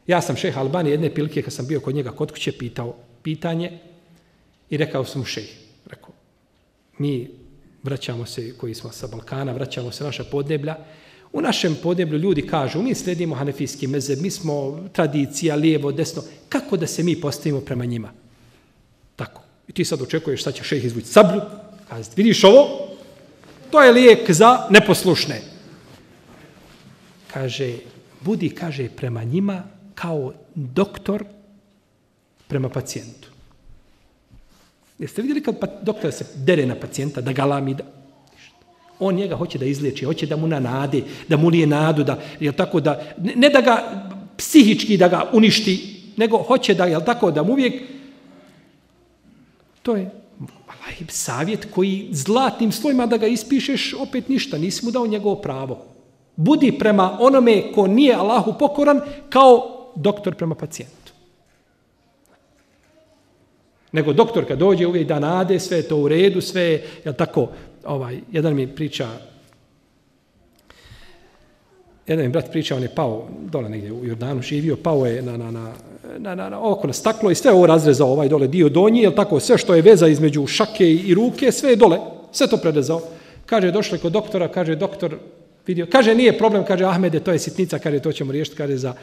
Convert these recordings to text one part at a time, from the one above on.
Ja sam šejh Albani jedne prilike kad sam bio kod njega kod kuće pitao pitanje i rekao sam mu šejh, rekao, mi vraćamo se, koji smo sa Balkana, vraćamo se naša podneblja. U našem podneblju ljudi kažu, mi sledimo hanefijski mezheb, mi smo tradicija, lijevo, desno. Kako da se mi postavimo prema njima? Tako. I ti sad očekuješ, sad će šejh izvući sablju, kazati, vidiš ovo? To je lijek za neposlušne. Kaže, budi, kaže, prema njima kao doktor prema pacijentu. Jeste vidjeli kad doktor se dere na pacijenta, da galami, da... On njega hoće da izliječi, hoće da mu nanade, da mu lije nadu, da, jel tako, da, ne da ga psihički da ga uništi, nego hoće da, jel tako, da mu uvijek... To je savjet koji zlatnim slovima da ga ispišeš, opet ništa, nisi mu dao njegovo pravo. Budi prema onome ko nije Allahu pokoran kao doktor prema pacijentu. Nego doktor kad dođe uvijek da nade, sve je to u redu, sve je, jel tako, jedan mi brat priča, on je pao dole negdje u Jordanu, živio, pao je oko na staklo i sve ovo razrezao, dole dio donji, jel tako, sve što je veza između šake i ruke, sve je dole, sve to prerezao. Kaže, došli kod doktora, kaže, doktor vidio, kaže, nije problem, kaže, Ahmede, to je sitnica, kaže, to ćemo riješiti, kaže, za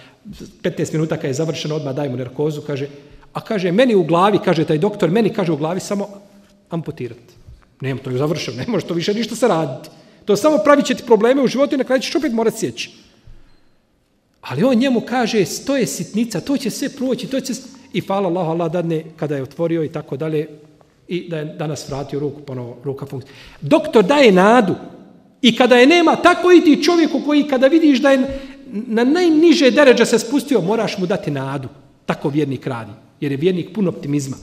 15 minuta kad je završeno, odmah daj mu narkozu, kaže, a kaže, meni u glavi, kaže, taj doktor, meni kaže u glavi samo amputirati. Nema, to je završeno, ne može to više ništa se raditi. To samo pravit će ti probleme u životu i na kraju ćeš opet morati sjeći. Ali on njemu kaže, to je sitnica, to će sve proći, to će... I hvala Allahu, Allah dadne kada je otvorio i tako dalje, i da je danas vratio ruku, ponovo ruka funkcija. Doktor daje nadu i kada je nema, tako i ti čovjeku koji kada vidiš da je na najniže deređe se spustio, moraš mu dati nadu. Tako vjernik radi, jer je vjernik pun optimizma.